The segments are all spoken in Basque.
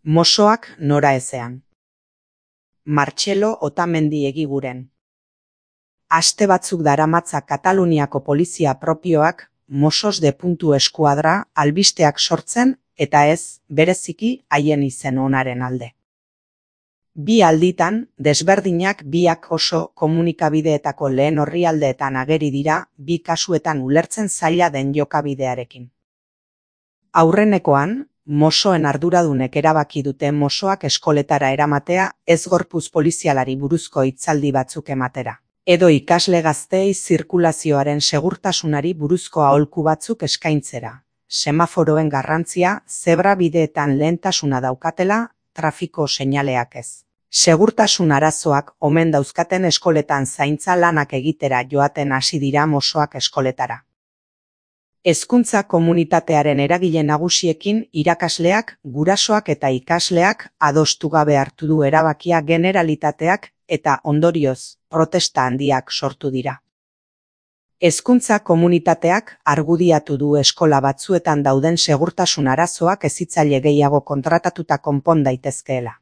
Mosoak nora ezean. Martxelo Otamendi Egiguren. Aste batzuk daramatza Kataluniako polizia propioak Mossos de Puntu eskuadra albisteak sortzen eta ez bereziki haien izen onaren alde. Bi alditan, desberdinak biak oso komunikabideetako lehen orrialdeetan ageri dira bi kasuetan ulertzen zaila den jokabidearekin. Aurrenekoan, Mossoen arduradunek erabaki dute Mossoak eskoletara eramatea ez gorputz polizialari buruzko hitzaldi batzuk ematera, edo ikasle gazteei zirkulazioaren segurtasunari buruzko aholku batzuk eskaintzera, semaforoen garrantzia zebra bideetan lehentasuna daukatela, trafiko seinaleak ez. Segurtasun arazoak omen dauzkaten eskoletan zaintza lanak egitera joaten hasi dira Mossoak eskoletara. Hezkuntza komunitatearen eragile nagusiekin irakasleak, gurasoak eta ikasleak adostu gabe hartu du erabakia Generalitateak eta ondorioz protesta handiak sortu dira. Hezkuntza komunitateak argudiatu du eskola batzuetan dauden segurtasun arazoak hezitzaile gehiago kontratatuta konpon daitezkeela.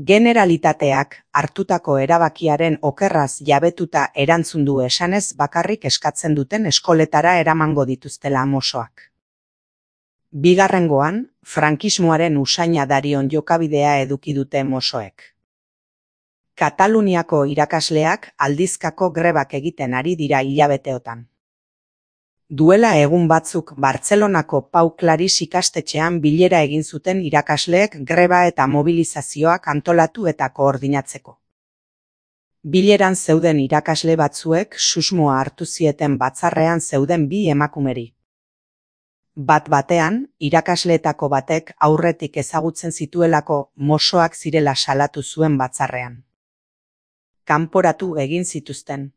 Generalitateak hartutako erabakiaren okerraz jabetuta erantzun du esanez bakarrik eskatzen duten eskoletara eramango dituztela Mossoak. Bigarrengoan, frankismoaren usaina darion jokabidea eduki dute Mossoek. Kataluniako irakasleak aldizkako grebak egiten ari dira hilabeteotan. Duela egun batzuk Bartzelonako Pau Claris ikastetxean bilera egin zuten irakasleek greba eta mobilizazioak antolatu eta koordinatzeko. Bileran zeuden irakasle batzuek susmoa hartu zieten batzarrean zeuden bi emakumeri. Bat-batean, irakasleetako batek aurretik ezagutzen zituelako Mossoak zirela salatu zuen batzarrean. Kanporatu egin zituzten.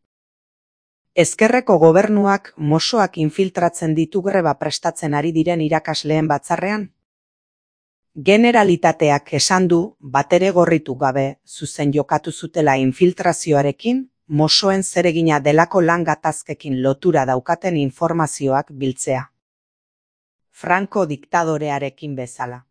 Ezkerreko gobernuak Mossoak infiltratzen ditu greba prestatzen ari diren irakasleen batzarrean? Generalitateak esan du, batere gorritu gabe, zuzen jokatu zutela infiltrazioarekin, Mossoen zeregina delako lan gatazkekin lotura daukaten informazioak biltzea. Franco diktadorearekin bezala.